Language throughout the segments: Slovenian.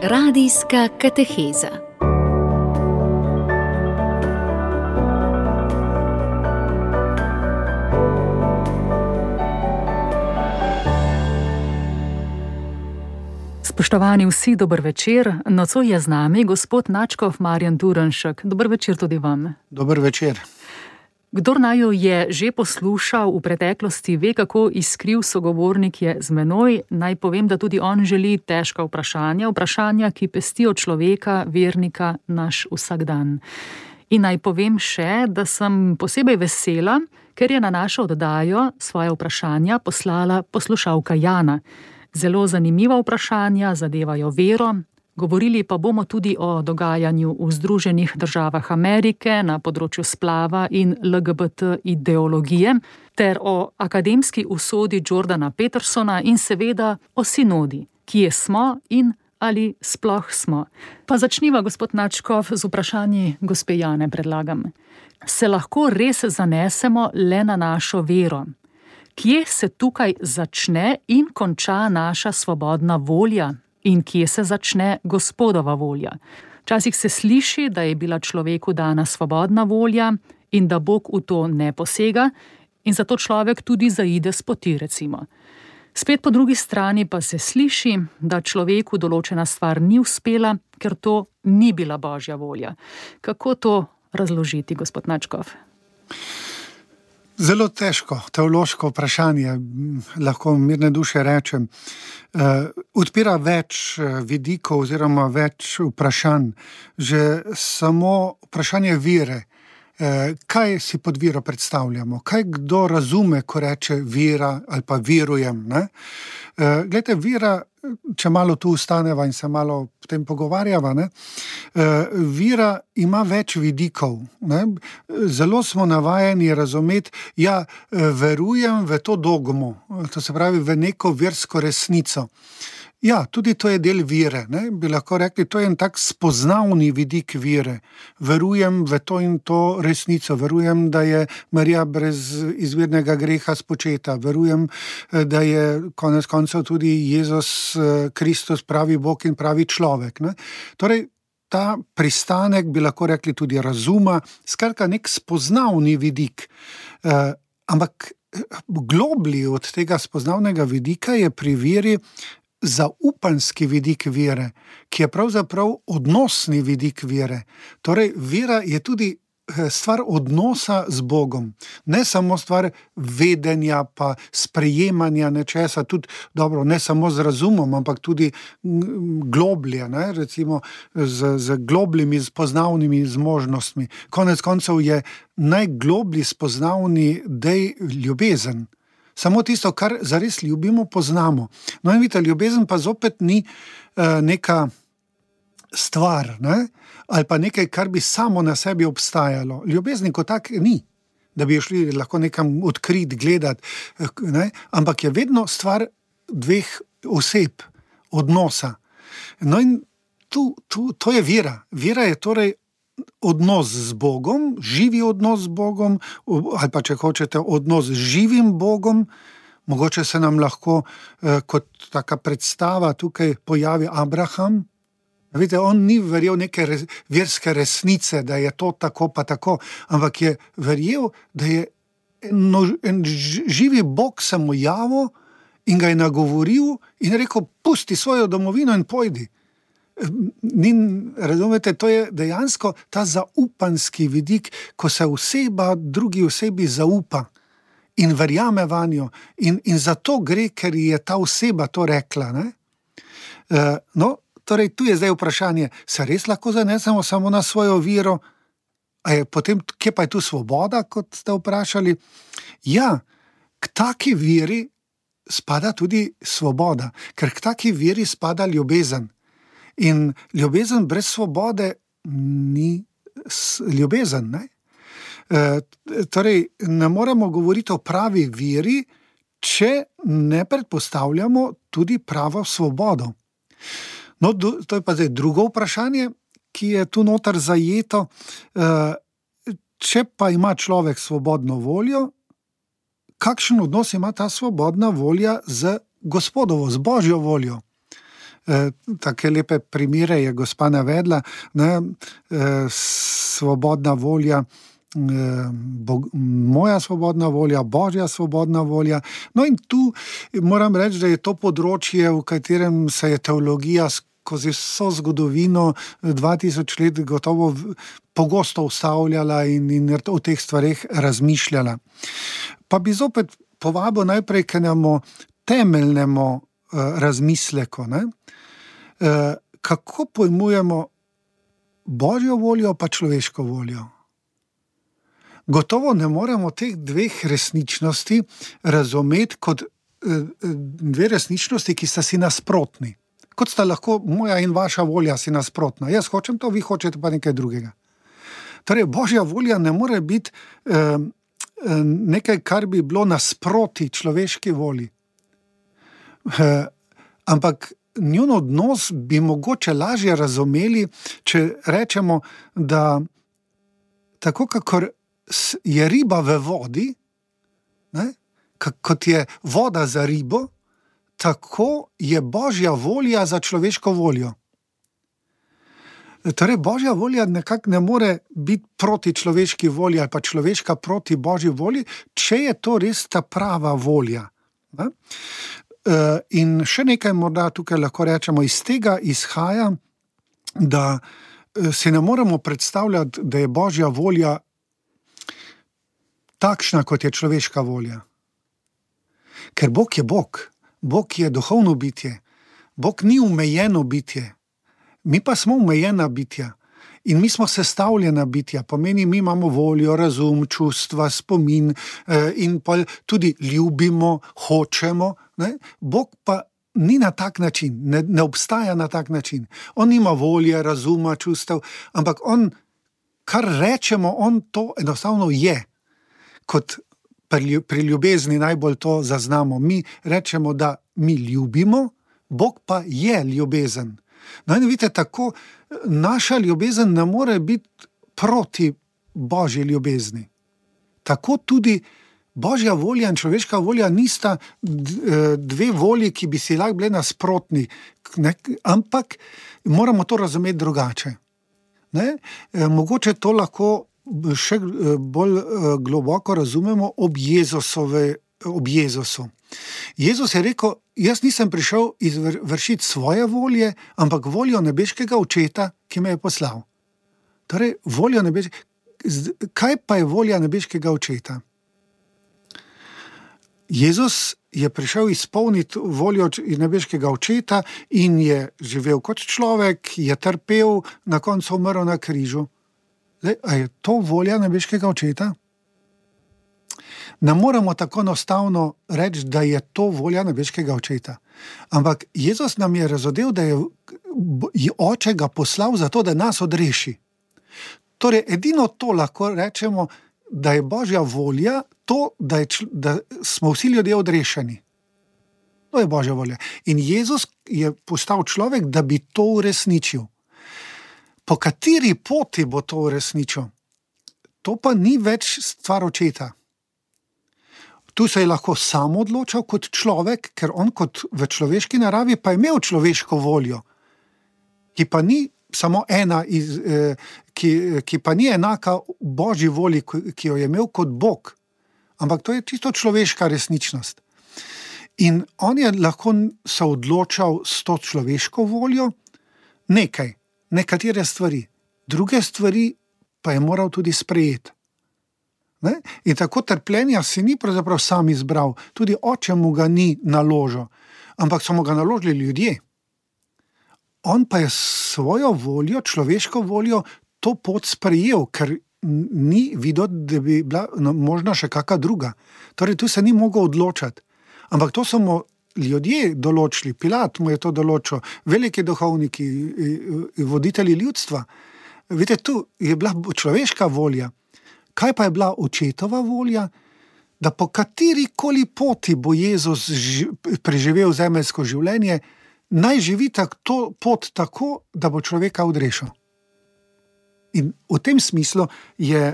Radijska kateheza. Spoštovani vsi, dober večer. Nocoj je z nami gospod nadškof Marjan Turnšek. Dober večer tudi vam. Dober večer. Kdor naju je že poslušal v preteklosti, ve, kako iskriv sogovornik je z menoj. Naj povem, da tudi on želi težka vprašanja, ki pestijo človeka, vernika, naš vsakdan. In naj povem še, da sem posebej vesela, ker je na našo oddajo svoje vprašanja poslala poslušalka Jana. Zelo zanimiva vprašanja zadevajo vero. Govorili pa bomo tudi o dogajanju v Združenih državah Amerike na področju splava in LGBT ideologije, ter o akademski usodi Jordana Petersona in seveda o sinodi, kje smo in ali sploh smo. Pa začniva, gospod nadškof, z vprašanji gospe Jane, predlagam. Se lahko res zanesemo le na našo vero? Kje se tukaj začne in konča naša svobodna volja? In kje se začne Gospodova volja? Včasih se sliši, da je bila človeku dana svobodna volja in da Bog v to ne posega in zato človek tudi zaide s poti, recimo. Spet po drugi strani pa se sliši, da človeku določena stvar ni uspela, ker to ni bila Božja volja. Kako to razložiti, gospod nadškof? Zelo težko, teološko vprašanje, lahko mirne duše rečem. Odpira več vidikov oziroma več vprašanj. Že samo vprašanje vere. Kaj si pod vero predstavljamo? Kaj kdo razume, ko reče vera ali pa verujem? Glejte, vera, če malo tu ustaneva in se malo potem pogovarjava, vera ima več vidikov. Zelo smo navajeni razumeti, verujem v to dogmo, to se pravi v neko versko resnico. Ja, tudi to je del vere, bi lahko rekli, to je en tak spoznavni vidik vere. Verujem v to in to resnico, verujem, da je Marija brez izvirnega greha spočeta, verujem, da je konec koncev tudi Jezus Kristus pravi Bog in pravi človek. Torej, ta pristanek, bi lahko rekli tudi razuma, skratka nek spoznavni vidik. Ampak globlji od tega spoznavnega vidika je pri veri zaupanski vidik vere, ki je pravzaprav odnosni vidik vere. Torej, vera je tudi stvar odnosa z Bogom. Ne samo stvar vedenja pa sprejemanja nečesa, tudi dobro, ne samo z razumom, ampak tudi globlje, recimo z globljimi spoznavnimi zmožnostmi. Konec koncev je najgloblji spoznavni dej ljubezen. Samo tisto, kar zares ljubimo, poznamo. No in vidite, ljubezen pa zopet ni neka stvar, ali pa nekaj, kar bi samo na sebi obstajalo. Ljubezni kot tak ni, da bi jo šli lahko nekam odkrit, gledat, ampak je vedno stvar dveh oseb, odnosa. No in to je vera. Vera je torej odnos z Bogom, živi odnos z Bogom, ali pa če hočete odnos z živim Bogom. Mogoče se nam lahko kot taka predstava tukaj pojavi Abraham. Vidite, on ni verjel neke verske resnice, da je to tako pa tako, ampak je verjel, da je en živi Bog se mu javil in ga je nagovoril in rekel, pusti svojo domovino in pojdi. Razumete, to je dejansko ta zaupanski vidik, ko se oseba drugi osebi zaupa in verjame vanjo in zato gre, ker je ta oseba to rekla. Torej tu je zdaj vprašanje, se res lahko zanesemo samo na svojo vero? Potem, kje pa je tu svoboda, kot ste vprašali? Ja, k taki veri spada tudi svoboda, ker k taki veri spada ljubezen. In ljubezen brez svobode ni ljubezen. Torej, ne moremo govoriti o pravi veri, če ne predpostavljamo tudi pravo svobodo. No, to je pa zdaj drugo vprašanje, ki je tu noter zajeto. Če pa ima človek svobodno voljo, kakšen odnos ima ta svobodna volja z Gospodovo, z Božjo voljo? Take lepe primere je gospa navedla, ne, svobodna volja, moja svobodna volja, Božja svobodna volja. No in tu moram reči, da je to področje, v katerem se je teologija skozi vso zgodovino 2000 let gotovo pogosto ustavljala in o teh stvareh razmišljala. Pa bi zopet povabil najprej k enemu temeljnemu razmisleku, ne? Kako pojmujemo Božjo voljo pa človeško voljo? Gotovo ne moremo teh dveh resničnosti razumeti kot dve resničnosti, ki sta si nasprotni. Kot sta lahko moja in vaša volja si nasprotna. Jaz hočem to, vi hočete pa nekaj drugega. Torej, Božja volja ne more biti nekaj, kar bi bilo nasproti človeški volji. Ampak njun odnos bi mogoče lažje razumeli, če rečemo, da tako kakor je riba v vodi, ne, kot je voda za ribo, tako je Božja volja za človeško voljo. Torej, Božja volja nekako ne more biti proti človeški volji ali pa človeška proti Božji volji, če je to res ta prava volja. Ne? In še nekaj morda tukaj lahko rečemo, iz tega izhaja, da si ne moremo predstavljati, da je Božja volja takšna, kot je človeška volja. Ker Bog je Bog. Bog je duhovno bitje. Bog ni omejeno bitje. Mi pa smo omejena bitja. In mi smo sestavljena bitja. Pomeni, mi imamo voljo, razum, čustva, spomin in pa tudi ljubimo, hočemo. Ne? Bog pa ni na tak način, ne obstaja na tak način. On nima volje, razuma, čustev, ampak on, kar rečemo, on to enostavno je. Kot pri ljubezni najbolj to zaznamo. Mi rečemo, da mi ljubimo, Bog pa je ljubezen. No in vidite, tako naša ljubezen ne more biti proti Božji ljubezni. Tako tudi Božja volja in človeška volja nista dve volji, ki bi si lahko bile nasprotni, ne? Ampak moramo to razumeti drugače. Ne? Mogoče to lahko še bolj globoko razumemo ob Jezusu. Jezus je rekel, jaz nisem prišel izvršiti svoje volje, ampak voljo nebeškega Očeta, ki me je poslal. Torej, kaj pa je volja nebeškega Očeta? Jezus je prišel izpolniti voljo nebeškega Očeta in je živel kot človek, je trpel, na koncu umrl na križu. Zdaj, a je to volja nebeškega Očeta? Ne moramo tako enostavno reči, da je to volja nebeškega Očeta. Ampak Jezus nam je razodel, da je Oče ga poslal zato, da nas odreši. Torej, edino to lahko rečemo, da je Božja volja to, da smo vsi ljudje odrešeni. To je Božja volja. In Jezus je postal človek, da bi to uresničil. Po kateri poti bo to uresničil? To pa ni več stvar Očeta. Tu se je lahko sam odločal kot človek, ker on kot v človeški naravi pa je imel človeško voljo, ki pa ni samo ena, ki pa ni enaka Božji volji, ki jo je imel kot Bog. Ampak to je čisto človeška resničnost. In on je lahko se odločal s to človeško voljo nekatere stvari. Druge stvari pa je moral tudi sprejeti. Ne? In tako trpljenja si ni pravzaprav sam izbral, tudi Oče mu ga ni naložil, ampak so mu ga naložili ljudje. On pa je svojo voljo, človeško voljo, to pot sprejel, ker ni videl, da bi bila možna še kakšna druga. Torej, tu se ni mogel odločati. Ampak to so mu ljudje določili, Pilat mu je to določil, veliki duhovniki, voditelji ljudstva. Vidite, tu je bila človeška volja. Kaj pa je bila Očetova volja? Da po katerikoli poti bo Jezus preživel zemeljsko življenje, naj živi to pot tako, da bo človeka odrešil. In v tem smislu je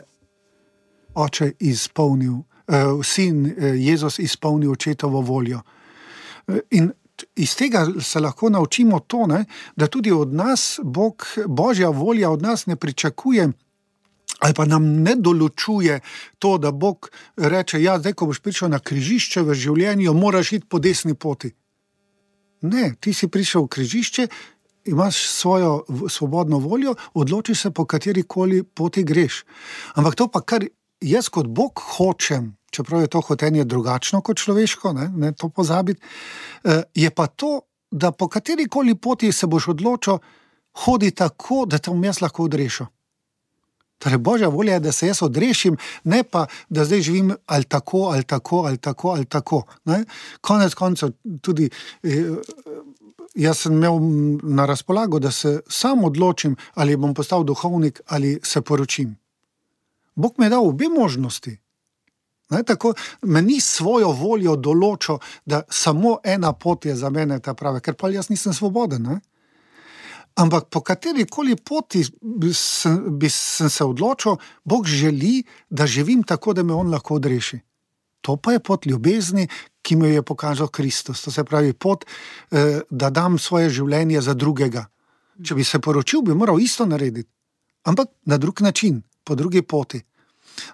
Oče izpolnil, sin Jezus izpolnil Očetovo voljo. In iz tega se lahko naučimo to, ne, da tudi od nas Božja volja od nas ne pričakuje ali pa nam ne določuje to, da Bog reče, ja, zdaj, ko boš prišel na križišče v življenju, moraš iti po desni poti. Ne, ti si prišel v križišče, imaš svojo svobodno voljo, odločiš se, po katerikoli poti greš. Ampak to pa, kar jaz kot Bog hočem, čeprav je to hotenje drugačno kot človeško, ne to pozabiti, je pa to, da po katerikoli poti se boš odločil, hodi tako, da te bom jaz lahko odrešil. Torej, Božja volja je, da se jaz odrešim, ne pa, da zdaj živim ali tako, ali tako, ali tako, ali tako. Ne? Konec koncev tudi jaz sem imel na razpolago, da se sam odločim, ali bom postal duhovnik, ali se poročim. Bog mi je dal obe možnosti. Ne? Tako, me ni svojo voljo določil, da samo ena pot je za mene ta prava, ker pa jaz nisem svoboden, ne? Ampak po katerikoli poti sem se odločil, Bog želi, da živim tako, da me on lahko odreši. To pa je pot ljubezni, ki mi jo je pokazal Kristus. To se pravi pot, da dam svoje življenje za drugega. Če bi se poročil, bi moral isto narediti. Ampak na drug način, po drugi poti.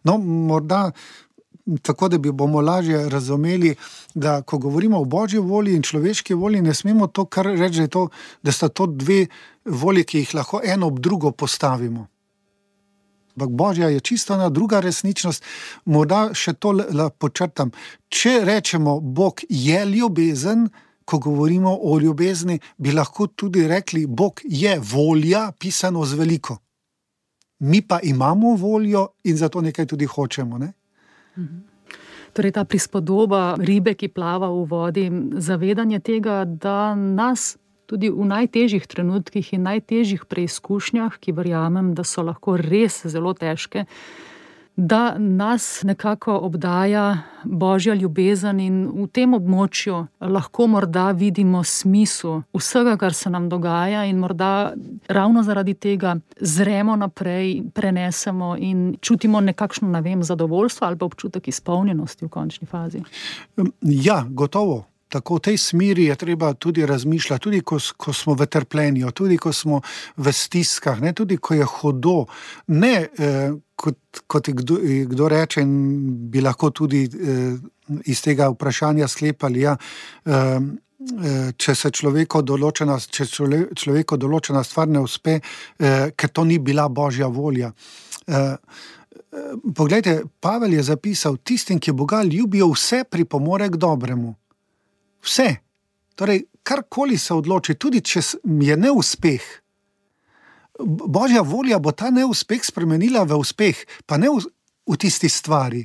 No, morda tako, da bomo lažje razumeli, da ko govorimo o Božji volji in človeški volji, ne smemo to kar reči, da sta to dve volji, ki jih lahko eno ob drugo postavimo. Ampak Božja je čisto ena druga resničnost. Morda še to počrtam. Če rečemo, Bog je ljubezen, ko govorimo o ljubezni, bi lahko tudi rekli, Bog je volja, pisano z veliko. Mi pa imamo voljo in zato nekaj tudi hočemo, ne? Torej ta prispodoba ribe, ki plava v vodi, zavedanje tega, da nas tudi v najtežjih trenutkih in najtežjih preizkušnjah, ki verjamem, da so lahko res zelo težke, da nas nekako obdaja Božja ljubezen in v tem območju lahko morda vidimo smisel vsega, kar se nam dogaja in morda ravno zaradi tega zremo naprej, prenesemo in čutimo nekakšno, zadovoljstvo ali pa občutek izpolnjenosti v končni fazi. Ja, gotovo. Tako v tej smeri je treba tudi razmišljati, tudi ko smo v trpljenju, tudi ko smo v stiskah, ne, tudi ko je hudo. Ne, kot kdo reče, in bi lahko tudi iz tega vprašanja sklepali, ja, če človeku določena stvar ne uspe, ker to ni bila Božja volja. Poglejte, Pavel je zapisal, tistim, ki Boga ljubijo, vse pripomore k dobremu. Vse. Torej, karkoli se odloči, tudi če je neuspeh, Božja volja bo ta neuspeh spremenila v uspeh, pa ne v tisti stvari,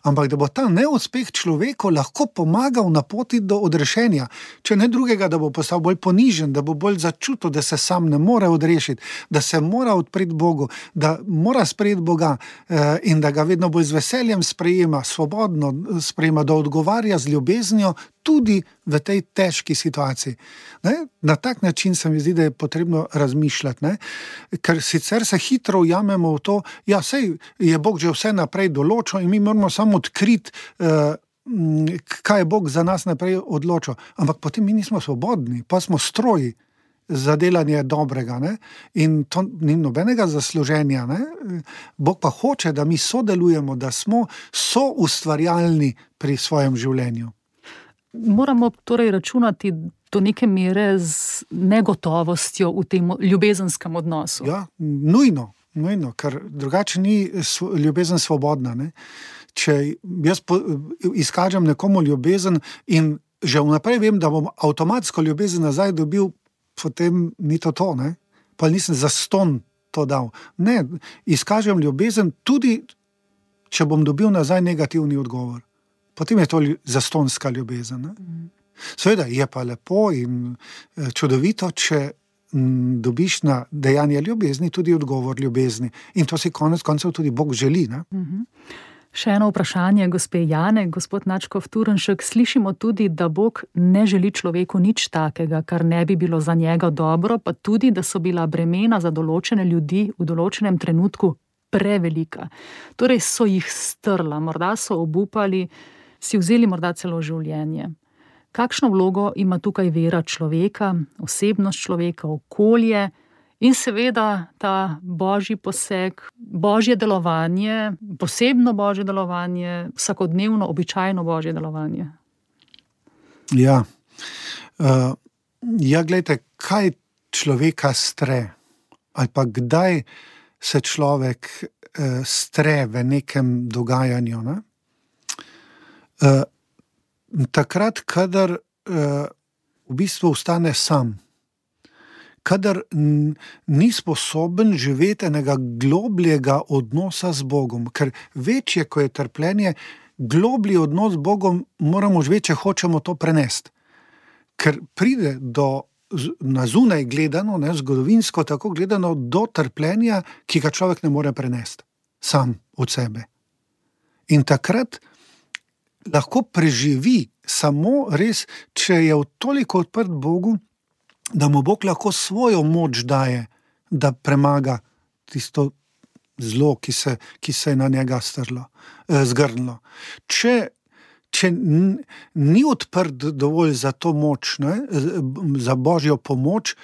ampak da bo ta neuspeh človeku lahko pomagal na poti do odrešenja. Če ne drugega, da bo postal bolj ponižen, da bo bolj začutil, da se sam ne more odrešiti, da se mora odpreti Bogu, da mora sprejeti Boga in da ga vedno bolj z veseljem sprejema, svobodno sprejema, da odgovarja z ljubeznijo tudi v tej težki situaciji. Ne? Na tak način se mi zdi, da je potrebno razmišljati, ne? Ker sicer se hitro ujamemo v to, ja, sej je Bog že vse naprej določil in mi moramo samo odkriti, kaj je Bog za nas naprej odločil. Ampak potem mi nismo svobodni, pa smo stroji za delanje dobrega, ne? In to ni nobenega zasluženja, ne? Bog pa hoče, da mi sodelujemo, da smo soustvarjalni pri svojem življenju. Moramo torej računati do neke mere z negotovostjo v tem ljubezenskem odnosu. Ja, nujno, ker drugače ni ljubezen svobodna, ne? Če jaz izkažem nekomu ljubezen in že vnaprej vem, da bom avtomatsko ljubezen nazaj dobil, potem ni to, ne? Pa nisem zastonj to dal. Ne, izkažem ljubezen tudi, če bom dobil nazaj negativni odgovor. Potem je to zastonjska ljubezen. Ne? Seveda je pa lepo in čudovito, če dobiš na dejanje ljubezni tudi odgovor ljubezni. In to si konec koncev tudi Bog želi. Ne? Še eno vprašanje gospe Jane, gospod Nadškof Turnšek. Slišimo tudi, da Bog ne želi človeku nič takega, kar ne bi bilo za njega dobro, pa tudi, da so bila bremena za določene ljudi v določenem trenutku prevelika. Torej so jih strla, morda so obupali, si vzeli morda celo življenje. Kakšno vlogo ima tukaj vera človeka, osebnost človeka, okolje in seveda ta božji poseg, božje delovanje, posebno božje delovanje, vsakodnevno, običajno božje delovanje? Ja, glejte, kaj človeka stre ali pa kdaj se človek stre v nekem dogajanju, ne? Takrat, kadar v bistvu ostane sam, kadar ni sposoben živeti enega globljega odnosa z Bogom, ker večje, ko je trpljenje, globlji odnos z Bogom moramo živeti, če hočemo to prenesti. Ker pride na zunaj gledano, ne, zgodovinsko tako gledano, do trpljenja, ki ga človek ne more prenesti sam od sebe. In takrat lahko preživi samo res, če je toliko odprt Bogu, da mu Bog lahko svojo moč daje, da premaga tisto zlo, ki se je na njega zgrnilo. Če ni odprt dovolj za to moč, ne, za božjo pomoč,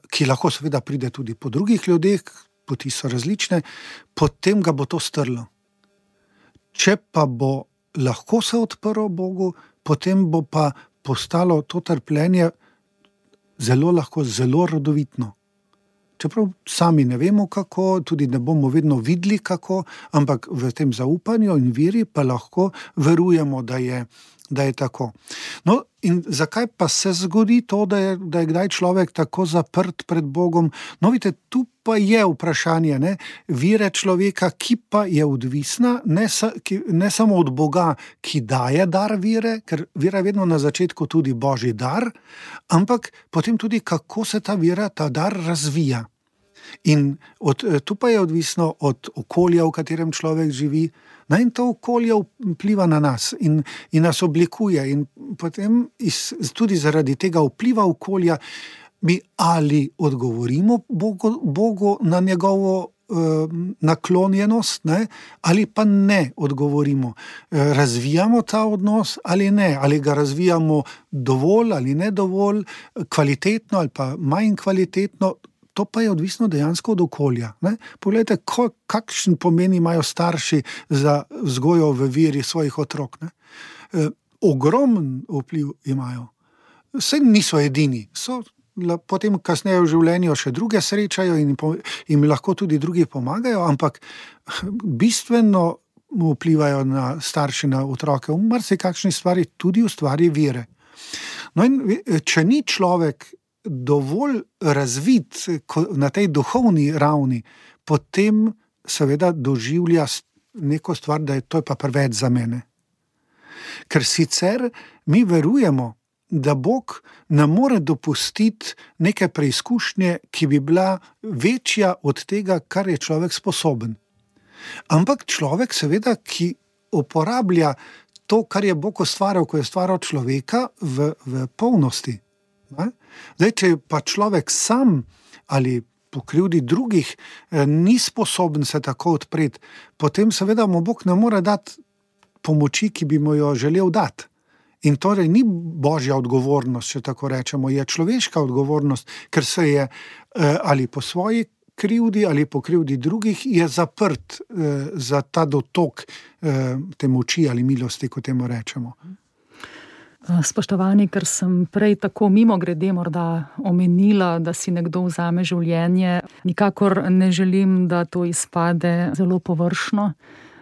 ki lahko seveda pride tudi po drugih ljudeh, poti so različne, potem ga bo to strlo. Če pa bo lahko se odprlo Bogu, potem bo pa postalo to trpljenje zelo rodovitno. Čeprav sami ne vemo kako, tudi ne bomo vedno videli kako, ampak v tem zaupanju in veri pa lahko verujemo, da je tako. No, in zakaj pa se zgodi to, da je kdaj človek tako zaprt pred Bogom? No, vidite, tu pa je vprašanje, ne, vere človeka, ki pa je odvisna ne samo od Boga, ki daje dar vere, ker vera je vedno na začetku tudi božji dar, ampak potem tudi, kako se ta vera, ta dar razvija. In tu pa je odvisno od okolja, v katerem človek živi, in to okolje vpliva na nas in nas oblikuje. In potem tudi zaradi tega vpliva okolja mi ali odgovorimo Bogu na njegovo naklonjenost, ne, ali pa ne odgovorimo. Razvijamo ta odnos ali ne, ali ga razvijamo dovolj ali ne dovolj, kvalitetno ali pa manj kvalitetno. To pa je odvisno dejansko od okolja. Ne? Poglejte, kakšen pomen imajo starši za vzgojo v veri svojih otrok. Ne? Ogromen vpliv imajo. Saj niso edini. Potem kasneje v življenju še druge srečajo in jim lahko tudi drugi pomagajo, ampak bistveno vplivajo na starši, na otroke. V marsikakšni stvari, tudi v stvari vere. No in če ni človek dovolj razvit na tej duhovni ravni, potem seveda doživlja neko stvar, da je to pa preveč za mene. Ker sicer mi verujemo, da Bog ne more dopustiti neke preizkušnje, ki bi bila večja od tega, kar je človek sposoben. Ampak človek seveda, ki uporablja to, kar je Bog ustvaril, ko je ustvaril človeka v polnosti. Zdaj, če pa človek sam ali po krivdi drugih ni sposoben se tako odpreti, potem seveda mu Bog ne more dati pomoči, ki bi mu jo želel dati. In torej ni božja odgovornost, če tako rečemo, je človeška odgovornost, ker se je ali po svoji krivdi ali po krivdi drugih je zaprt za ta dotok te moči ali milosti, kot temu rečemo. Spoštovani, ker sem prej tako mimogrede morda omenila, da si nekdo vzame življenje, nikakor ne želim, da to izpade zelo površno.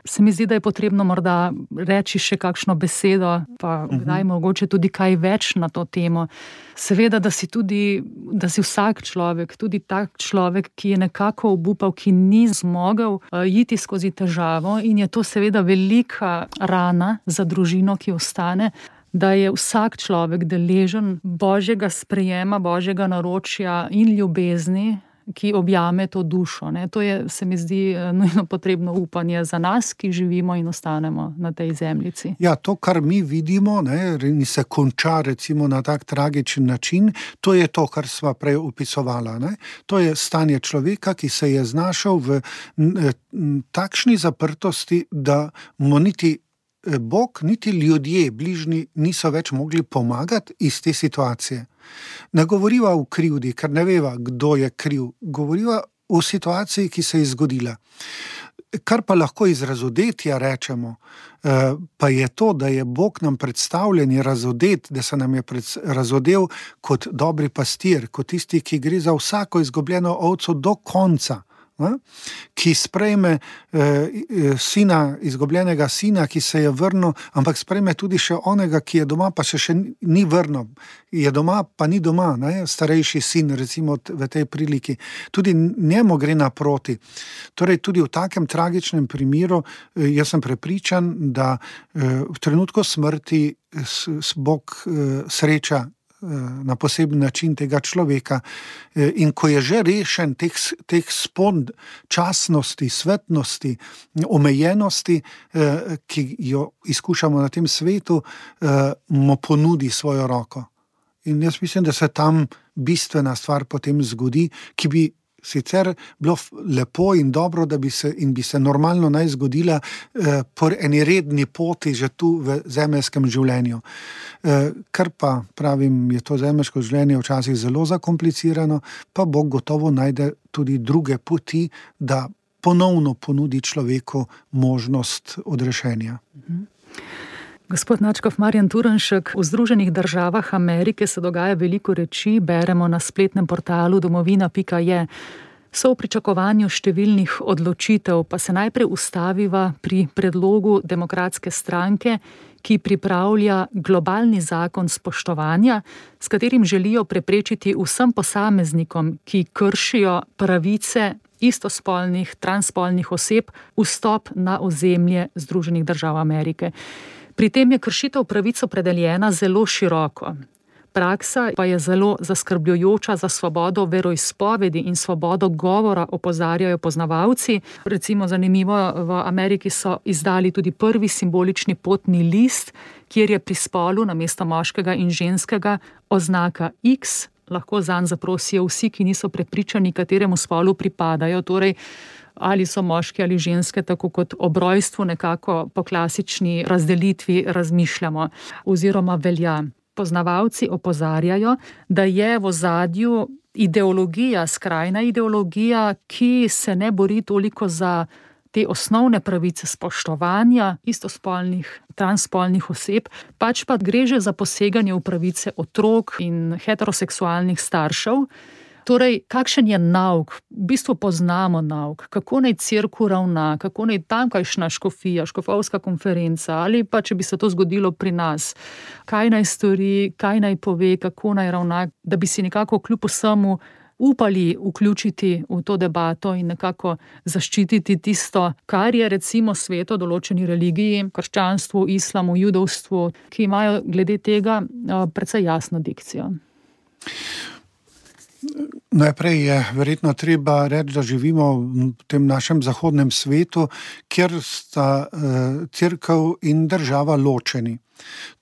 Se mi zdi, da je potrebno morda reči še kakšno besedo, pa kdaj mogoče tudi kaj več na to temo. Seveda, da si vsak človek, tudi tak človek, ki je nekako obupal, ki ni zmogel iti skozi težavo in je to seveda velika rana za družino, ki ostane, da je vsak človek deležen božjega sprejema, božjega naročja in ljubezni, ki objame to dušo. Ne? To je, se mi zdi, nujno potrebno upanje za nas, ki živimo in ostanemo na tej zemljici. Ja, to, kar mi vidimo, ne, in se konča recimo na tak tragičen način, to je to, kar sva prej opisovala. Ne? To je stanje človeka, ki se je znašel v takšni zaprtosti, da mu niti Bog, niti ljudje, bližnji, niso več mogli pomagati iz te situacije. Ne govoriva v krivdi, ker ne veva, kdo je kriv. Govoriva v situaciji, ki se je zgodila. Kar pa lahko iz razodetja rečemo, pa je to, da je Bog nam predstavljen, je razodet, da se nam je razodel kot dobri pastir, kot tisti, ki gre za vsako izgubljeno ovco do konca. Ki sprejme izgubljenega sina, ki se je vrnil, ampak sprejme tudi še onega, ki je doma, pa še ni vrnil. Je doma, pa ni doma, starejši sin, recimo v tej priliki. Tudi njemu gre naproti. Torej, tudi v takem tragičnem primeru, jaz sem prepričan, da v trenutku smrti Bog sreča na poseben način tega človeka. In ko je že rešen teh spon časnosti, svetnosti, omejenosti, ki jo izkušamo na tem svetu, mu ponudi svojo roko. In jaz mislim, da se tam bistvena stvar potem zgodi, ki bi sicer bilo lepo in dobro, da bi se normalno naj zgodila po eni redni poti že tu v zemeljskem življenju. Kar pa, pravim, je to zemeljsko življenje včasih zelo zakomplicirano, pa Bog gotovo najde tudi druge poti, da ponovno ponudi človeku možnost odrešenja. Gospod nadškof Marjan Turnšek, v Združenih državah Amerike se dogaja veliko reči, beremo na spletnem portalu domovina.je. So v pričakovanju številnih odločitev, pa se najprej ustaviva pri predlogu Demokratske stranke, ki pripravlja globalni zakon spoštovanja, s katerim želijo preprečiti vsem posameznikom, ki kršijo pravice istospolnih, transspolnih oseb, vstop na ozemlje Združenih držav Amerike. Pri tem je kršitev pravic opredeljena zelo široko. Praksa pa je zelo zaskrbljujoča za svobodo veroizpovedi in svobodo govora, opozarjajo poznavalci. Recimo zanimivo, v Ameriki so izdali tudi prvi simbolični potni list, kjer je pri spolu namesto moškega in ženskega oznaka X. Lahko zanj zaprosijo vsi, ki niso prepričani, kateremu spolu pripadajo. Torej, ali so moški ali ženske, tako kot ob rojstvu nekako po klasični razdelitvi razmišljamo oziroma velja. Poznavalci opozarjajo, da je v ozadju ideologija, skrajna ideologija, ki se ne bori toliko za te osnovne pravice spoštovanja istospolnih, transspolnih oseb, pač pa gre že za poseganje v pravice otrok in heteroseksualnih staršev. Torej, kakšen je nauk? V bistvu poznamo nauk, kako naj cerkev ravna, kako naj tamkajšnja škofija, škofovska konferenca, ali pa če bi se to zgodilo pri nas, kaj naj stori, kaj naj pove, kako naj ravna, da bi si nekako kljub vsemu upali vključiti v to debato in nekako zaščititi tisto, kar je recimo sveto določeni religiji, krščanstvu, islamu, judovstvu, ki imajo glede tega precej jasno dikcijo. Najprej je verjetno treba reči, da živimo v tem našem zahodnem svetu, kjer sta cerkev in država ločeni.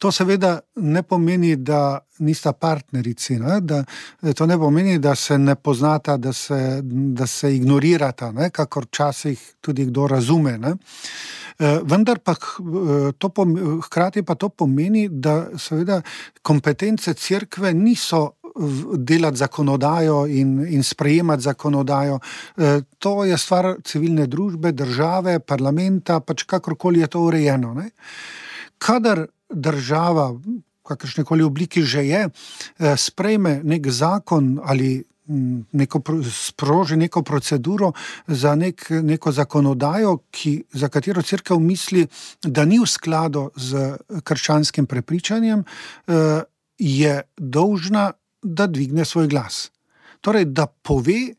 To seveda ne pomeni, da nista partnerici, to ne pomeni, da se ne poznata, da se ignorirata, kakor včasih tudi kdo razume. Vendar pa hkrati pa to pomeni, da seveda kompetence cerkve niso delati zakonodajo in sprejemati zakonodajo. To je stvar civilne družbe, države, parlamenta, pač kakorkoli je to urejeno. Kadar država, kakršnekoli obliki že je, sprejme nek zakon ali sproži neko proceduro za neko zakonodajo, za katero cerkev misli, da ni v skladu z krščanskim prepričanjem, je dolžna, da dvigne svoj glas. Torej, da pove,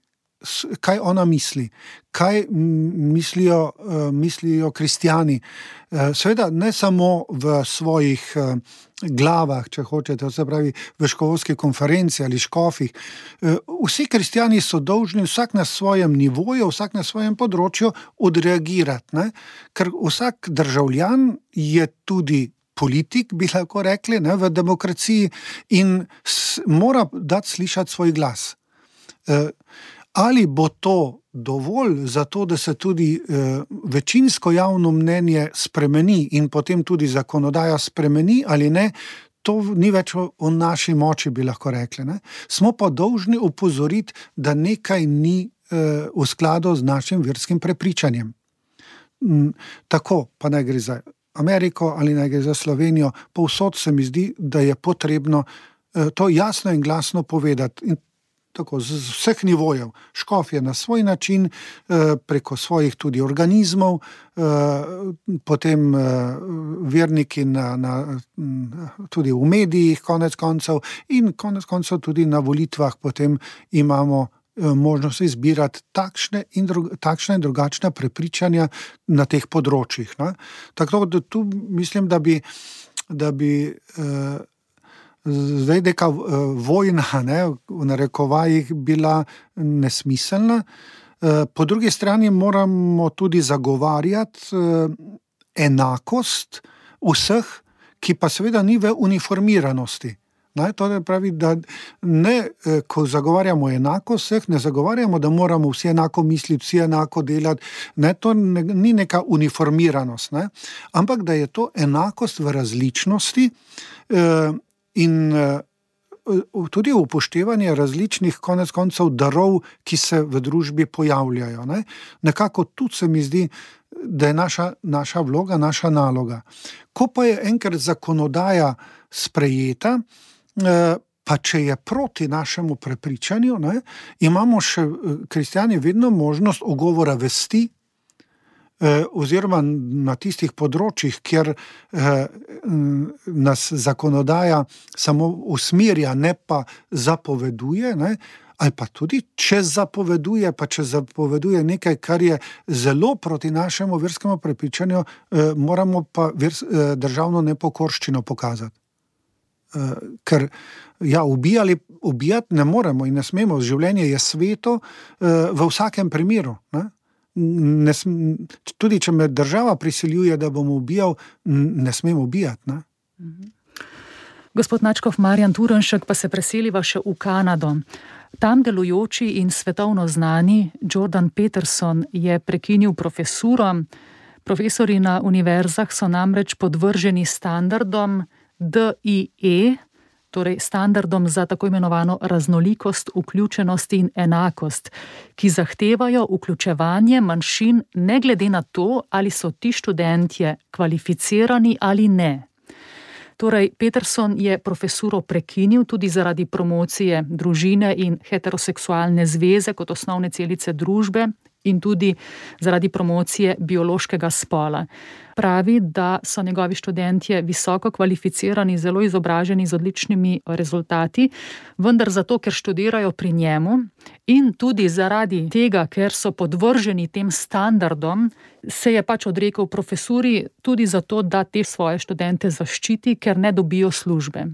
kaj ona misli, kaj mislijo kristjani. Seveda ne samo v svojih glavah, če hočete, se pravi v škofovski konferenci ali škofih. Vsi kristjani so dolžni vsak na svojem nivoju, vsak na svojem področju odreagirati, ker vsak državljan je tudi politik, bi lahko rekli, v demokraciji in mora dati slišati svoj glas. Ali bo to dovolj za to, da se tudi večinsko javno mnenje spremeni in potem tudi zakonodaja spremeni ali ne, to ni več v naši moči, bi lahko rekli. Ne? Smo pa dolžni opozoriti, da nekaj ni v skladu z našim verskim prepričanjem. Tako, pa naj gre za Ameriko ali naj gre za Slovenijo, povsod se mi zdi, da je potrebno to jasno in glasno povedati. In tako, z vseh nivojev. Škof je na svoj način, preko svojih tudi organizmov, potem verniki tudi v medijih konec koncev in konec koncev tudi na volitvah potem imamo možnost izbirati takšne in drugačne prepričanja na teh področjih. Ne? Tako da tu mislim, da bi zdaj neka vojna, ne, v narekovajih bila nesmiselna. Po drugi strani moramo tudi zagovarjati enakost vseh, ki pa seveda ni v uniformiranosti. Ne, to pravi, da ne, ko zagovarjamo enakost vseh, ne zagovarjamo, da moramo vsi enako misliti, vsi enako delati. Ne, to ni neka uniformiranost, ne, ampak da je to enakost v različnosti in tudi upoštevanje različnih konec koncev darov, ki se v družbi pojavljajo. Ne. Nekako tudi se mi zdi, da je naša vloga, naša naloga. Ko pa je enkrat zakonodaja sprejeta, pa če je proti našemu prepričanju, ne, imamo še kristjani vedno možnost ogovora vesti, oziroma na tistih področjih, kjer nas zakonodaja samo usmerja, ne pa zapoveduje, ne, ali pa tudi, če zapoveduje nekaj, kar je zelo proti našemu verskemu prepričanju, moramo pa državno nepokorščino pokazati. Ker ubijati ne moremo in ne smemo, življenje je sveto v vsakem primeru. Ne? Tudi če me država prisiljuje, da bom ubijal, ne smem ubijati. Ne? Gospod Nadškof Marjan Turnšek, pa se preseliva še v Kanado. Tam delujoči in svetovno znani Jordan Peterson je prekinil profesuro. Profesori na univerzah so namreč podvrženi standardom DIE, torej standardom za tako imenovano raznolikost, vključenost in enakost, ki zahtevajo vključevanje manjšin ne glede na to, ali so ti študentje kvalificirani ali ne. Torej, Peterson je profesuro prekinil tudi zaradi promocije družine in heteroseksualne zveze kot osnovne celice družbe in tudi zaradi promocije biološkega spola. Pravi, da so njegovi študentje visoko kvalificirani, zelo izobraženi z odličnimi rezultati, vendar zato, ker študirajo pri njemu in tudi zaradi tega, ker so podvrženi tem standardom, se je pač odrekel profesuri tudi zato, da te svoje študente zaščiti, ker ne dobijo službe.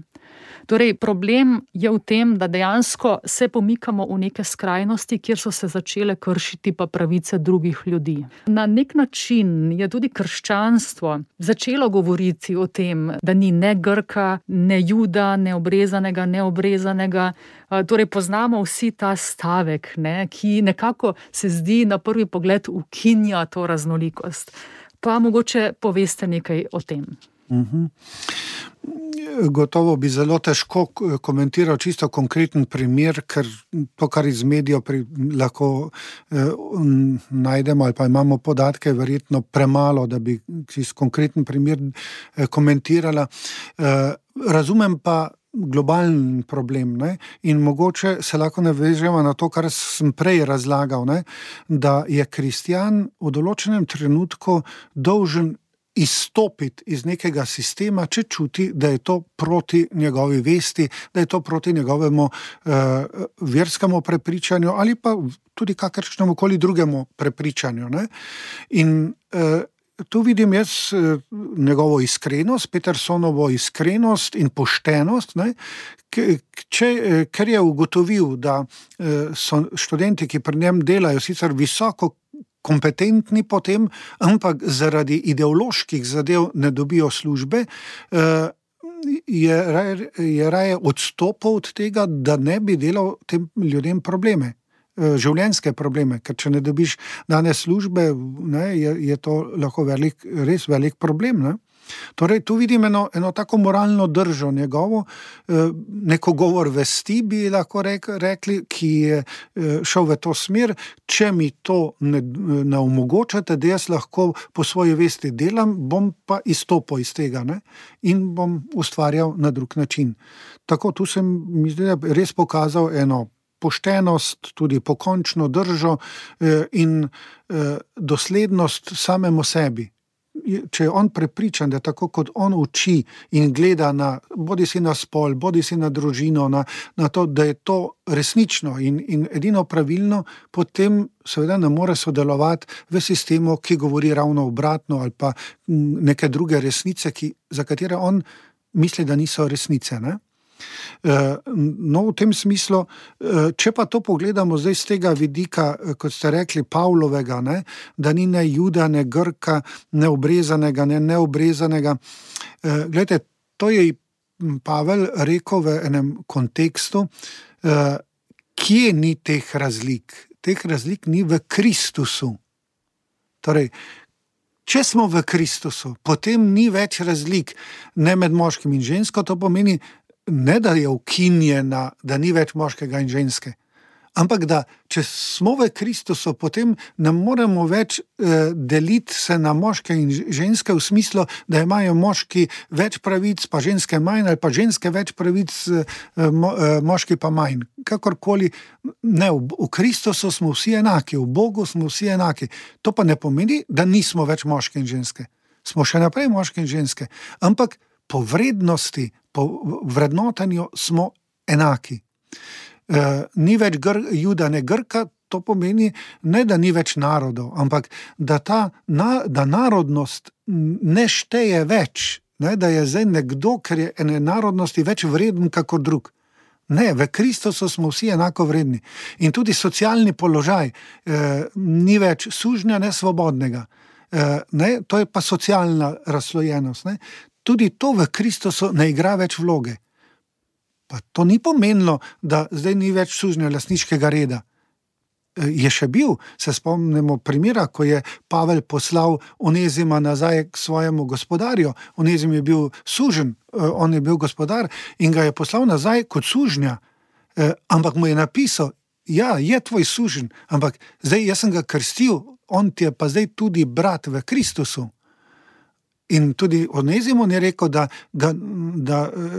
Torej, problem je v tem, da dejansko se pomikamo v neke skrajnosti, kjer so se začele kršiti pa pravice drugih ljudi. Na nek način je tudi krščanstvo začelo govoriti o tem, da ni ne Grka, ne Juda, ne obrezanega, ne obrezanega. Torej, poznamo vsi ta stavek, ne, ki nekako se zdi na prvi pogled ukinja to raznolikost. Pa mogoče poveste nekaj o tem. Gotovo bi zelo težko komentiral čisto konkreten primer, ker to, kar iz medijev lahko najdemo ali pa imamo podatke, verjetno premalo, da bi čisto konkreten primer komentirala. Razumem pa globalen problem, ne? In mogoče se lahko navežemo na to, kar sem prej razlagal, ne? Da je kristjan v določenem trenutku dolžen izstopiti iz nekega sistema, če čuti, da je to proti njegovi vesti, da je to proti njegovemu verskemu prepričanju ali pa tudi kakršnemu koli drugemu prepričanju. Ne? In tu vidim jaz njegovo iskrenost, Petersonovo iskrenost in poštenost, ne? Ker je ugotovil, da so študenti, ki pri njem delajo, sicer visoko kompetentni potem, ampak zaradi ideoloških zadev ne dobijo službe, je raje odstopil od tega, da ne bi delal tem ljudem probleme. življenjske probleme, ker če ne dobiš danes službe, ne, je to lahko res velik problem. Ne? Torej, tu vidim eno tako moralno držo njegovo, neko govor vesti bi lahko rekli, ki je šel v to smer, če mi to ne omogočate, da jaz lahko po svoji vesti delam, bom pa izstopil iz tega, ne? In bom ustvarjal na drug način. Tako, tu sem mi zdi, res pokazal eno poštenost, tudi pokončno držo in doslednost samemu sebi. Če je on prepričan, da tako kot on uči in gleda bodi si na spol, bodi si na družino, na to, da je to resnično in edino pravilno, potem seveda ne more sodelovati v sistemu, ki govori ravno obratno ali pa neke druge resnice, za katere on misli, da niso resnice, ne? No, v tem smislu, če pa to pogledamo zdaj z tega vidika, kot ste rekli, Pavlovega, ne, da ni ne Juda, ne Grka, ne obrezanega, ne neobrezanega. Glejte, to je Pavel rekel v enem kontekstu, kje ni teh razlik. Teh razlik ni v Kristusu. Torej, če smo v Kristusu, potem ni več razlik ne med moškim in žensko, to pomeni, ne da je ukinjena, da ni več moškega in ženske, ampak da če smo v Kristusu, potem ne moremo več deliti se na moške in ženske v smislu, da imajo moški več pravic, pa ženske manj, ali pa ženske več pravic, moški pa manj. Kakorkoli, ne, v Kristusu smo vsi enaki, v Bogu smo vsi enaki. To pa ne pomeni, da nismo več moški in ženske. Smo še naprej moški in ženske, ampak po vrednosti, po vrednotanju smo enaki. Ni več Juda, ne Grka, to pomeni ne, da ni več narodov, ampak da narodnost ne šteje več, ne, da je zdaj nekdo, ker je ene narodnosti več vreden kakor drug. Ne, v Kristusu smo vsi enako vredni. In tudi socialni položaj ni več sužnja, ne svobodnega. Ne, to je pa socialna razslojenost. Ne. Tudi to v Kristusu ne igra več vloge. Pa to ni pomenilo, da zdaj ni več sužnja lastniškega reda. Je še bil, se spomnimo primera, ko je Pavel poslal Onezima nazaj k svojemu gospodarju. Onezim je bil sužen, on je bil gospodar in ga je poslal nazaj kot sužnja. Ampak mu je napisal, ja, je tvoj sužen, ampak zdaj jaz sem ga krstil, on ti je pa zdaj tudi brat v Kristusu. In tudi Onezimon je rekel, da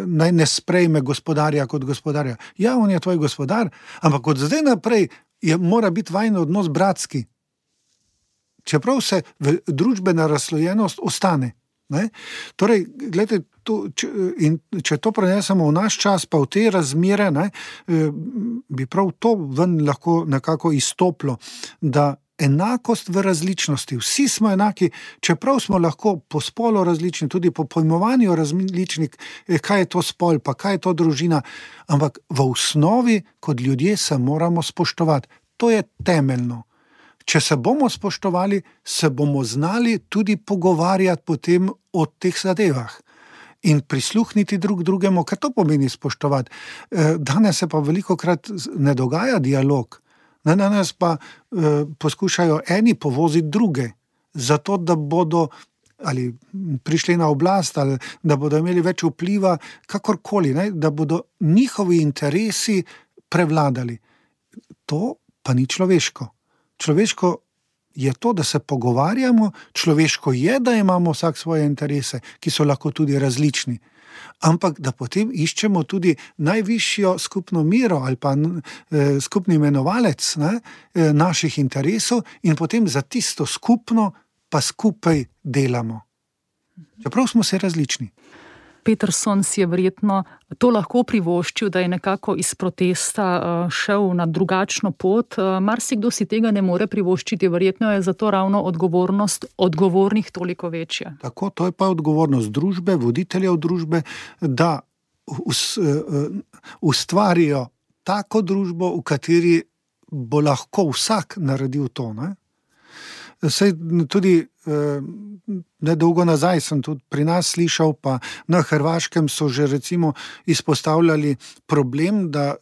naj ne sprejme gospodarja kot gospodarja. Ja, on je tvoj gospodar, ampak od zdaj naprej mora biti vajin odnos bratski. Čeprav se družbena razslojenost ostane. Ne? Torej, gledajte, če to prenesemo v naš čas, pa v te razmere, ne, bi prav to ven lahko nekako izstoplo, da enakost v različnosti. Vsi smo enaki, čeprav smo lahko po spolu različni, tudi po pojmovanju različni, kaj je to spol, pa kaj je to družina, ampak v osnovi kot ljudje se moramo spoštovati. To je temeljno. Če se bomo spoštovali, se bomo znali tudi pogovarjati potem o teh zadevah in prisluhniti drug drugemu, kaj to pomeni spoštovati. Danes se pa velikokrat ne dogaja dialog. Danes pa poskušajo eni povoziti druge, zato da bodo ali prišli na oblast, ali da bodo imeli več vpliva, kakorkoli, ne, da bodo njihovi interesi prevladali. To pa ni človeško. Človeško je to, da se pogovarjamo, človeško je, da imamo vsak svoje interese, ki so lahko tudi različni. Ampak da potem iščemo tudi najvišjo skupno mero ali pa skupni imenovalec, ne, naših interesov in potem za tisto skupno pa skupaj delamo. Čeprav smo se različni. Peterson si je verjetno to lahko privoščil, da je nekako iz protesta šel na drugačno pot. Marsikdo si tega ne more privoščiti, verjetno je zato ravno odgovornost odgovornih toliko večja. Tako, to je pa odgovornost družbe, voditeljev družbe, da ustvarijo tako družbo, v kateri bo lahko vsak naredil to. Ne? Saj tudi nedolgo nazaj sem tudi pri nas slišal, pa na Hrvaškem so že recimo izpostavljali problem, da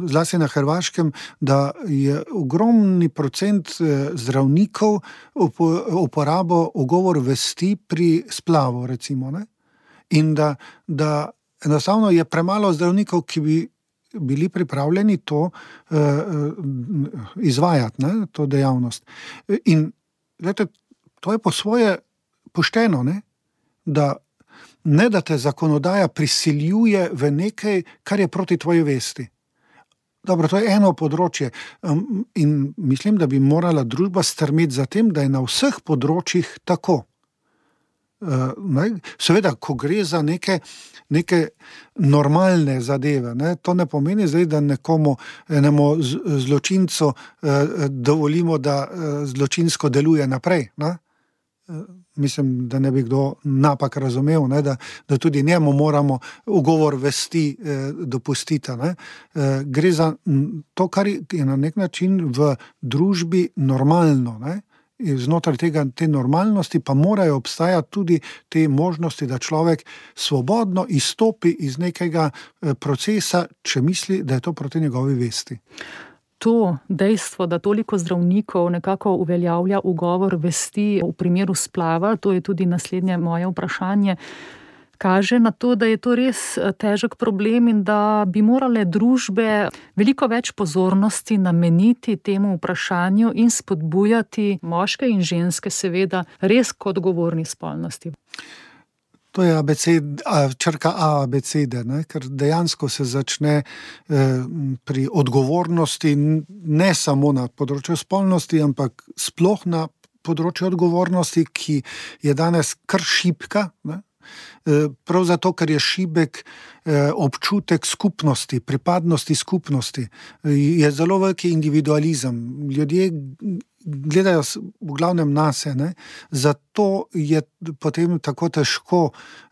zlasti na Hrvaškem, da je ogromni procent zdravnikov uporabo ugovor vesti pri splavu, recimo, ne? In da enostavno je premalo zdravnikov, ki bi bili pripravljeni to izvajati, ne, to dejavnost. In gledajte, to je po svoje pošteno, ne? Da te zakonodaja prisiljuje v nekaj, kar je proti tvoji vesti. Dobro, to je eno področje in mislim, da bi morala družba strmeti za tem, da je na vseh področjih tako. Seveda, ko gre za neke normalne zadeve, ne, to ne pomeni zdaj, da enemu zločincu dovolimo, da zločinsko deluje naprej, ne? Mislim, da ne bi kdo napak razumel, ne, da tudi njemu moramo ugovor vesti dopustiti, ne. Gre za to, kar je na nek način v družbi normalno, ne. Znotraj te normalnosti pa morajo obstajati tudi te možnosti, da človek svobodno izstopi iz nekega procesa, če misli, da je to proti njegovi vesti. To dejstvo, da toliko zdravnikov nekako uveljavlja ugovor vesti v primeru splava, to je tudi naslednje moje vprašanje, kaže na to, da je to res težek problem in da bi morale družbe veliko več pozornosti nameniti temu vprašanju in spodbujati moške in ženske seveda res k odgovorni spolnosti. To je črka A abecede, ne? Ker dejansko se začne pri odgovornosti ne samo na področju spolnosti, ampak sploh na področju odgovornosti, ki je danes kar šibka, ne? Prav zato, ker je šibek občutek skupnosti, pripadnosti skupnosti, je zelo veliki individualizem. Ljudje gledajo v glavnem nase, ne? Zato je potem tako težko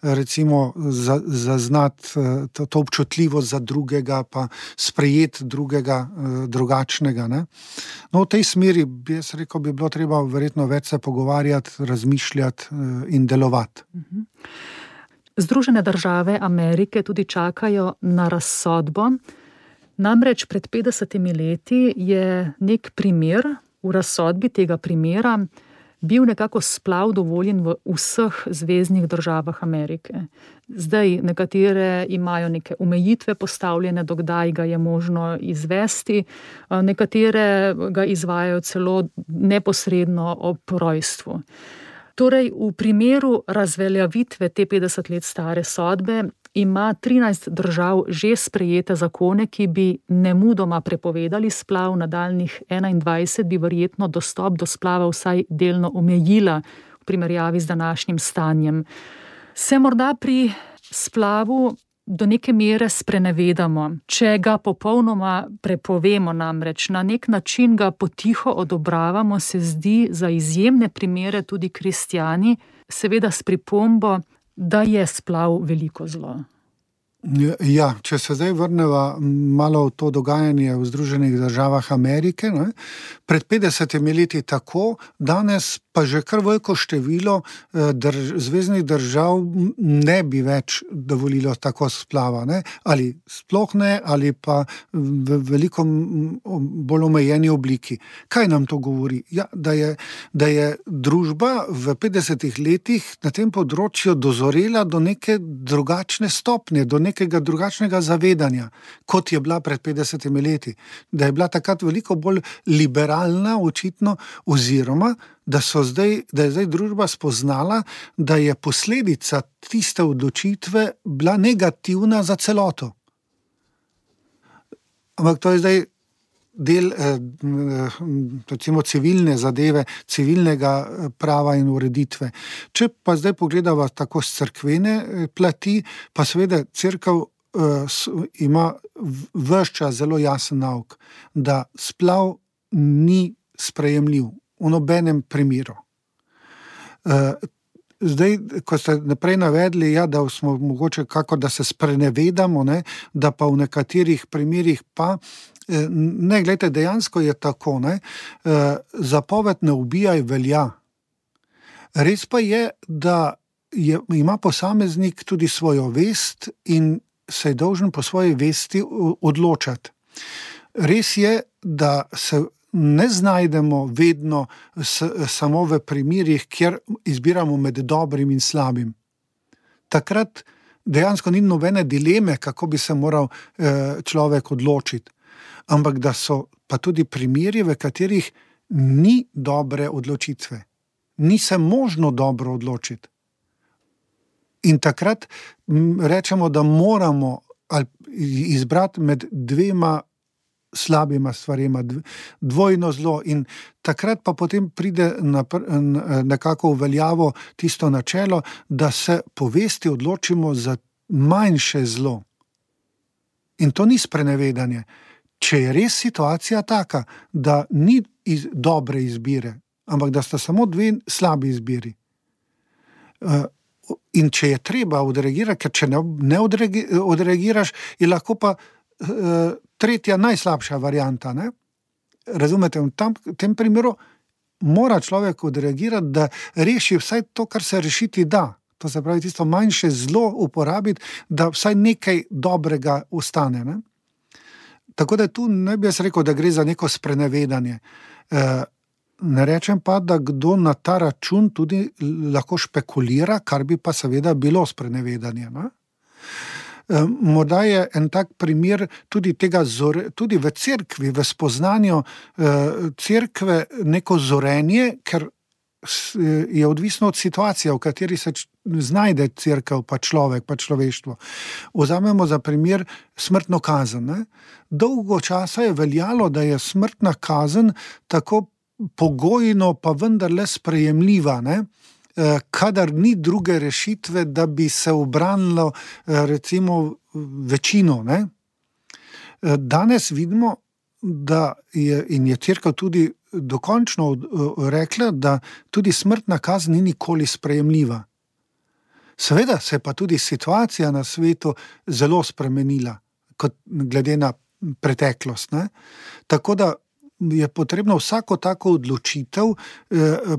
recimo zaznati to občutljivost za drugega, pa sprejeti drugega drugačnega, ne? No, v tej smeri, jaz rekel, bi bilo treba verjetno več se pogovarjati, razmišljati in delovati. Združene države Amerike tudi čakajo na razsodbo. Namreč pred 50 leti je nek primer, v razsodbi tega primera bil nekako splav dovoljen v vseh zveznih državah Amerike. Zdaj nekatere imajo neke omejitve postavljene, do kdaj ga je možno izvesti, nekatere ga izvajajo celo neposredno ob rojstvu. Torej, v primeru razveljavitve te 50 let stare sodbe ima 13 držav že sprejete zakone, ki bi nemudoma prepovedali splav, nadaljnjih 21 bi verjetno dostop do splava vsaj delno omejila v primerjavi z današnjim stanjem. Se morda pri splavu do neke mere sprenevedamo, če ga popolnoma prepovemo, namreč na nek način ga potiho odobravamo, se zdi za izjemne primere tudi kristjani, seveda s pripombo, da je splav veliko zlo. Ja, če se zdaj vrneva malo v to dogajanje v Združenih državah Amerike, ne, pred 50 leti tako, danes pa že kar veliko število zveznih držav ne bi več dovolilo tako splava, ne, ali sploh ne, ali pa v veliko bolj omejeni obliki. Kaj nam to govori? Ja, da je družba v 50 letih na tem področju dozorela do neke drugačne stopnje, do nekega drugačnega zavedanja, kot je bila pred 50 leti. Da je bila takrat veliko bolj liberalna, očitno, oziroma da je zdaj družba spoznala, da je posledica tiste odločitve bila negativna za celoto. Ampak to je zdaj del recimo civilne zadeve, civilnega prava in ureditve. Če pa zdaj pogledava tako s cerkvene plati, pa seveda cerkev ima ves čas zelo jasen nauk, da splav ni sprejemljiv v nobenem primeru. Zdaj, ko ste naprej navedli, ja, da smo mogoče kako, da se sprenevedamo, ne, da pa v nekaterih primerih pa Ne, gledajte, dejansko je tako, ne? Zapoved ne ubijaj velja. Res pa je, da ima posameznik tudi svojo vest in se je dolžen po svoji vesti odločati. Res je, da se ne znajdemo vedno samo v primerih, kjer izbiramo med dobrim in slabim. Takrat dejansko ni nobene dileme, kako bi se moral človek odločiti. Ampak da so pa tudi primeri, v katerih ni dobre odločitve. Ni se možno dobro odločiti. In takrat rečemo, da moramo izbrati med dvema slabima stvarima, dvojno zlo, in takrat pa potem pride nekako v veljavo tisto načelo, da se po vesti odločimo za manjše zlo. In to ni sprenevedanje. Če je res situacija taka, da ni dobre izbire, ampak da sta samo dve slabi izbiri. In če je treba odreagirati, ker če ne odreagiraš, je lahko pa tretja najslabša varianta. Ne? Razumete, v tem primeru mora človek odreagirati, da reši vsaj to, kar se rešiti da. To se pravi, tisto manjše zlo uporabiti, da vsaj nekaj dobrega ostane. Ne? Tako da tu ne bi jaz rekel, da gre za neko sprenevedanje. Ne rečem pa, da kdo na ta račun tudi lahko špekulira, kar bi pa seveda bilo sprenevedanje. Ne? Morda je en tak primer tudi tega, tudi v cerkvi, v spoznanju cerkve neko zorenje, ker je odvisno od situacije, v kateri se znajde cerkev, pa človek, pa človeštvo. Vzamemo za primer smrtno kazen. Ne? Dolgo časa je veljalo, da je smrtna kazen tako pogojno, pa vendarle sprejemljiva, ne? Kadar ni druge rešitve, da bi se ubranilo recimo večino. Ne? Danes vidimo, da je cerkev tudi dokončno rekla, da tudi smrtna kazen ni nikoli sprejemljiva. Seveda se je pa tudi situacija na svetu zelo spremenila, kot glede na preteklost. Ne? Tako da je potrebno vsako tako odločitev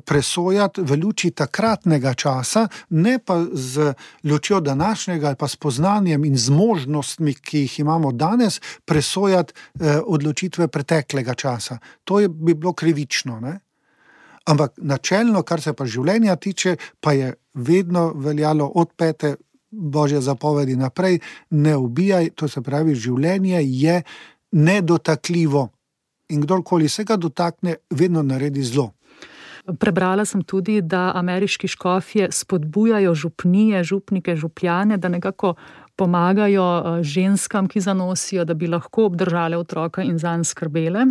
presojati v luči takratnega časa, ne pa z lučjo današnjega ali pa s poznanjem in zmožnostmi, ki jih imamo danes, presojati odločitve preteklega časa. To bi bilo krivično. Ne? Ampak načelno, kar se pa življenja tiče, pa je vedno veljalo od 5. Božje zapovedi naprej, ne ubijaj, to se pravi, življenje je nedotakljivo. In kdorkoli se ga dotakne, vedno naredi zlo. Prebrala sem tudi, da ameriški škofje spodbujajo župnije, župnike, župljane, da nekako pomagajo ženskam, ki zanosijo, da bi lahko obdržale otroka in zanj skrbele.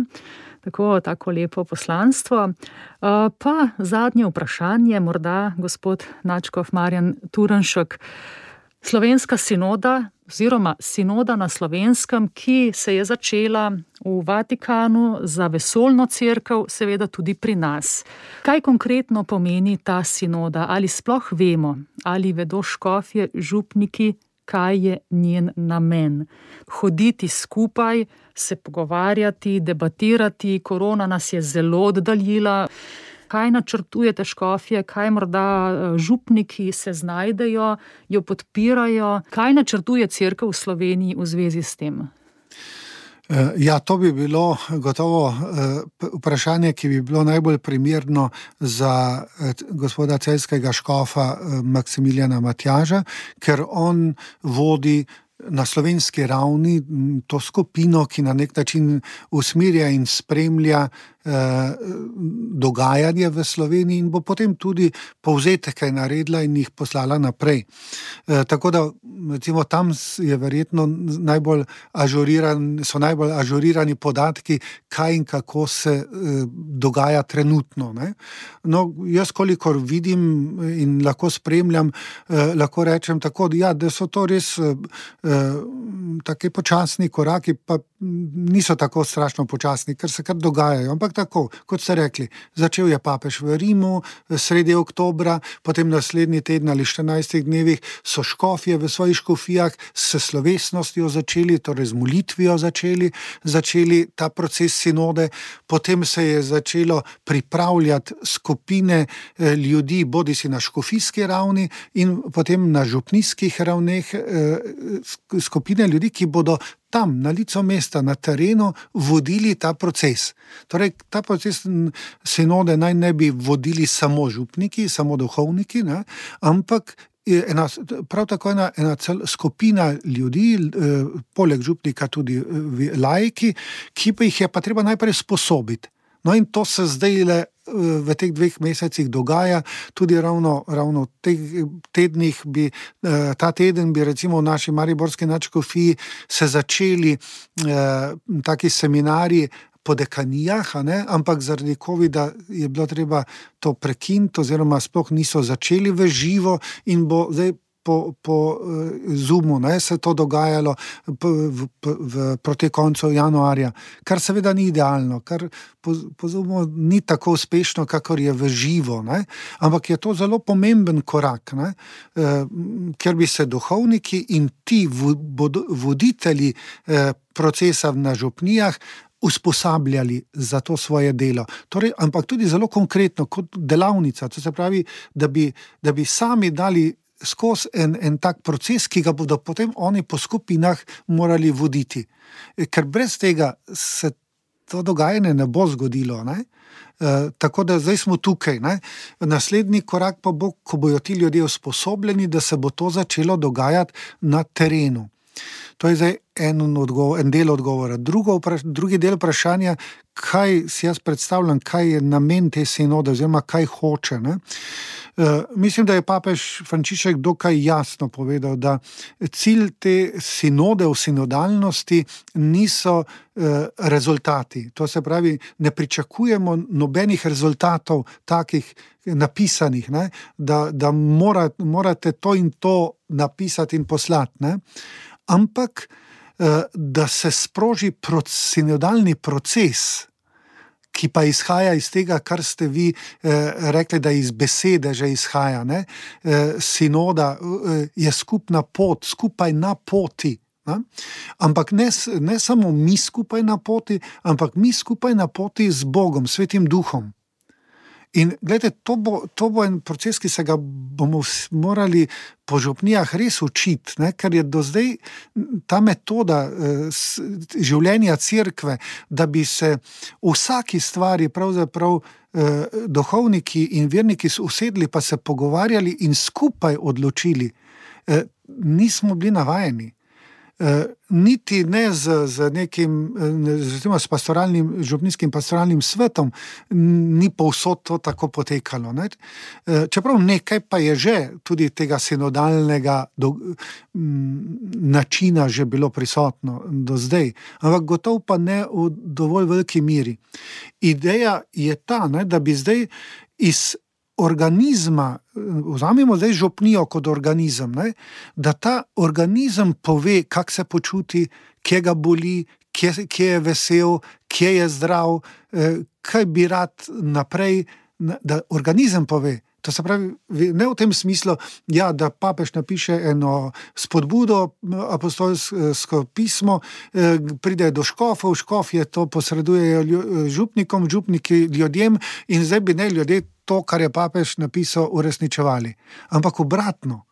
Tako lepo poslanstvo. Pa zadnje vprašanje, morda gospod nadškof Marjan Turnšek. Slovenska sinoda oziroma sinoda na Slovenskem, ki se je začela v Vatikanu za vesoljno cerkev, seveda tudi pri nas. Kaj konkretno pomeni ta sinoda? Ali sploh vemo, ali vedo škofje, župniki, kaj je njen namen? Hoditi skupaj, se pogovarjati, debatirati, korona nas je zelo oddaljila. Kaj načrtujete škofje, kaj morda župniki se znajdejo, jo podpirajo? Kaj načrtuje cerkev v Sloveniji v zvezi s tem? Ja, to bi bilo gotovo vprašanje, ki bi bilo najbolj primerno za gospoda celjskega škofa Maksimiljana Matjaža, ker on vodi na slovenski ravni to skupino, ki na nek način usmerja in spremlja dogajanje v Sloveniji in bo potem tudi povzetke naredila in jih poslala naprej. Tako da recimo tam je verjetno najbolj ažurirani podatki, kaj in kako se dogaja trenutno. Ne? No, jaz kolikor vidim in lahko spremljam, lahko rečem tako, ja, da so to res taki počasni koraki, pa niso tako strašno počasni, ker se kar dogajajo. Ampak tako, kot ste rekli, začel je papež v Rimu sredi oktobra, potem naslednji teden ali 14 dnevih so škofje v svojih škofijah s slovesnostjo začeli, torej z molitvijo začeli ta proces sinode, potem se je začelo pripravljati skupine ljudi, bodisi na škofijski ravni in potem na župnijskih ravneh, skupine ljudi, ki bodo tam, na licu mesta, na terenu, vodili ta proces. Torej, ta proces sinode naj ne bi vodili samo župniki, samo duhovniki, ne? Ampak prav tako ena skupina ljudi, poleg župnika tudi laiki, ki pa jih je pa treba najprej sposobiti. No in to se zdaj v teh 2 mesecih dogaja, tudi ravno v teh tednih ta teden bi recimo v naši mariborski nadškofiji se začeli taki seminarji po dekanijah, ampak zaradi covida je bilo treba to prekiniti oziroma sploh niso začeli v živo in bo zdaj po Zoomu se to dogajalo proti koncu januarja, kar seveda ni idealno, kar po Zoomu ni tako uspešno, kakor je v živo, ampak je to zelo pomemben korak, ker bi se duhovniki in ti voditelji procesa na župnijah usposabljali za to svoje delo. Torej, ampak tudi zelo konkretno, kot delavnica, to se pravi, da bi sami dali skozi en tak proces, ki ga bodo potem oni po skupinah morali voditi. Ker brez tega se to dogajanje ne bo zgodilo, tako da zdaj smo tukaj, Naslednji korak pa bo, ko bojo ti ljudje usposobljeni, da se bo to začelo dogajati na terenu. To je zdaj en del odgovora. Drugi del vprašanja, kaj si jaz predstavljam, kaj je namen te sinode oziroma kaj hoče. Mislim, da je papež Frančišek dokaj jasno povedal, da cilj te sinode v sinodalnosti niso rezultati. To se pravi, ne pričakujemo nobenih rezultatov takih napisanih, da morate to in to napisati in poslati, ampak da se sproži sinodalni proces, ki pa izhaja iz tega, kar ste vi rekli, da iz besede že izhaja. Sinoda je skupna pot, skupaj na poti. Ampak ne samo mi skupaj na poti, ampak mi skupaj na poti z Bogom, Svetim Duhom. In gledajte, to bo en proces, ki se ga bomo morali po župnijah res učiti, ker je do zdaj ta metoda življenja cerkve, da bi se v vsaki stvari pravzaprav duhovniki in verniki usedli pa se pogovarjali in skupaj odločili. Nismo bili navajeni. Niti ne z nekim s župnijskim pastoralnim svetom ni povsod to tako potekalo. Čeprav nekaj pa je že tudi tega sinodalnega načina že bilo prisotno do zdaj, ampak gotovo pa ne v dovolj veliki miri. Ideja je ta, da bi zdaj iz organizma, vzamemo zdaj župnijo kot organizem, da ta organizem pove, kako se počuti, kje ga boli, kje je vesel, kje je zdrav, kaj bi rad naprej, da organizem pove. To se pravi, ne v tem smislu, da papež napiše eno spodbudo, apostolsko pismo, pride do škofov, škofje to posredujejo župnikom, župniki ljudem in zdaj bi ne ljudje to, kar je papež napisal, uresničevali. Ampak obratno,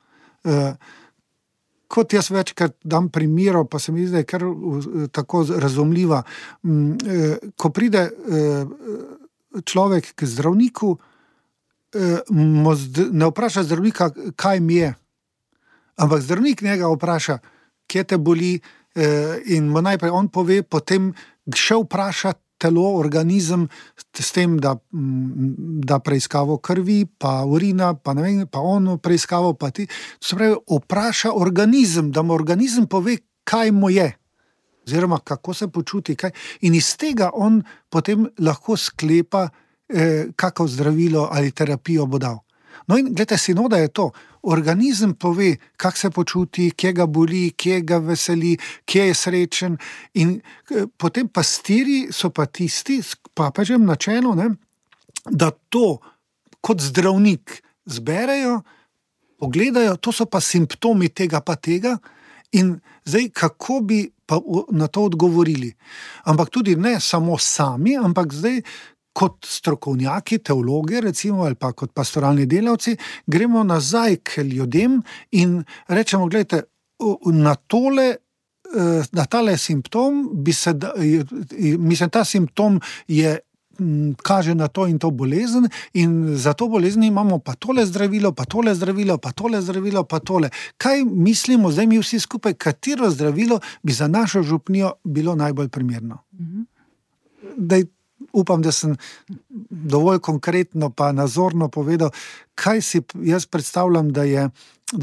kot jaz večkrat dam primerov, pa se mi zdi, da je kar tako razumljiva, ko pride človek k zdravniku, ne vpraša zdravnika, kaj mi je, ampak zdravnik njega vpraša, kje te boli, in mu najprej on pove, potem še vpraša telo, organizem, s tem, da preiskavo krvi, pa urina, pa ne vem, pa ono preiskavo, pa ti. To se pravi, vpraša organizem, da mu organizem pove, kaj mu je, oziroma kako se počuti, kaj. In iz tega on potem lahko sklepa, kako zdravilo ali terapijo bo dal. No in gledajte, sinoda je to. organizem pove, kako se počuti, kje ga boli, kje ga veseli, kje je srečen. In potem pastiri so pa tisti, s papežem na čelu, da to kot zdravnik zberejo, pogledajo, to so pa simptomi tega pa tega, in zdaj kako bi pa na to odgovorili. Ampak tudi ne samo sami, ampak zdaj kot strokovnjaki, teologi recimo, ali pa kot pastoralni delavci, gremo nazaj k ljudem in rečemo, gledajte, na tale simptom ta simptom kaže na to in to bolezen, in za to bolezen imamo pa tole zdravilo, pa tole zdravilo, pa tole zdravilo, pa tole. Kaj mislimo zdaj mi vsi skupaj, katero zdravilo bi za našo župnijo bilo najbolj primerno? Daj, upam, da sem dovolj konkretno pa nazorno povedal, kaj si jaz predstavljam, da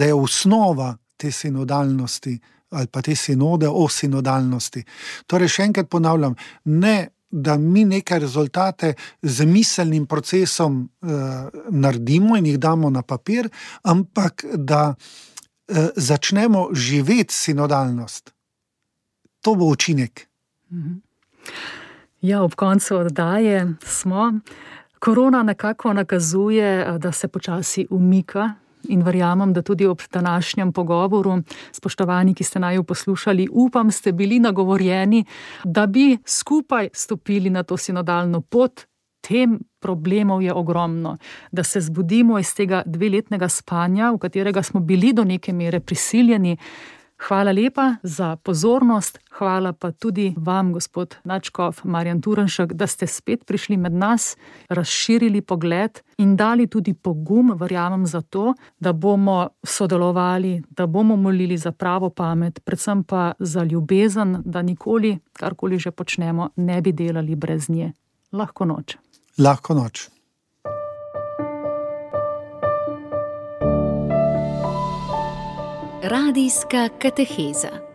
je osnova te sinodalnosti ali pa te sinode o sinodalnosti. Torej, še enkrat ponavljam, ne da mi neke rezultate z miselnim procesom naredimo in jih damo na papir, ampak da začnemo živeti sinodalnost. To bo učinek. Ja, ob koncu oddaje smo. Korona nekako nakazuje, da se počasi umika, in verjamem, da tudi ob današnjem pogovoru, spoštovani, ki ste naju poslušali, upam, ste bili nagovorjeni, da bi skupaj stopili na to sinodalno pot. Tem problemov je ogromno. Da se zbudimo iz tega 2-letnega spanja, v katerega smo bili do neke mere prisiljeni. Hvala lepa za pozornost, hvala pa tudi vam, gospod nadškof Marjan Turnšek, da ste spet prišli med nas, razširili pogled in dali tudi pogum, verjamem, za to, da bomo sodelovali, da bomo molili za pravo pamet, predvsem pa za ljubezen, da nikoli, karkoli že počnemo, ne bi delali brez nje. Lahko noč. Lahko noč. Radijska kateheza.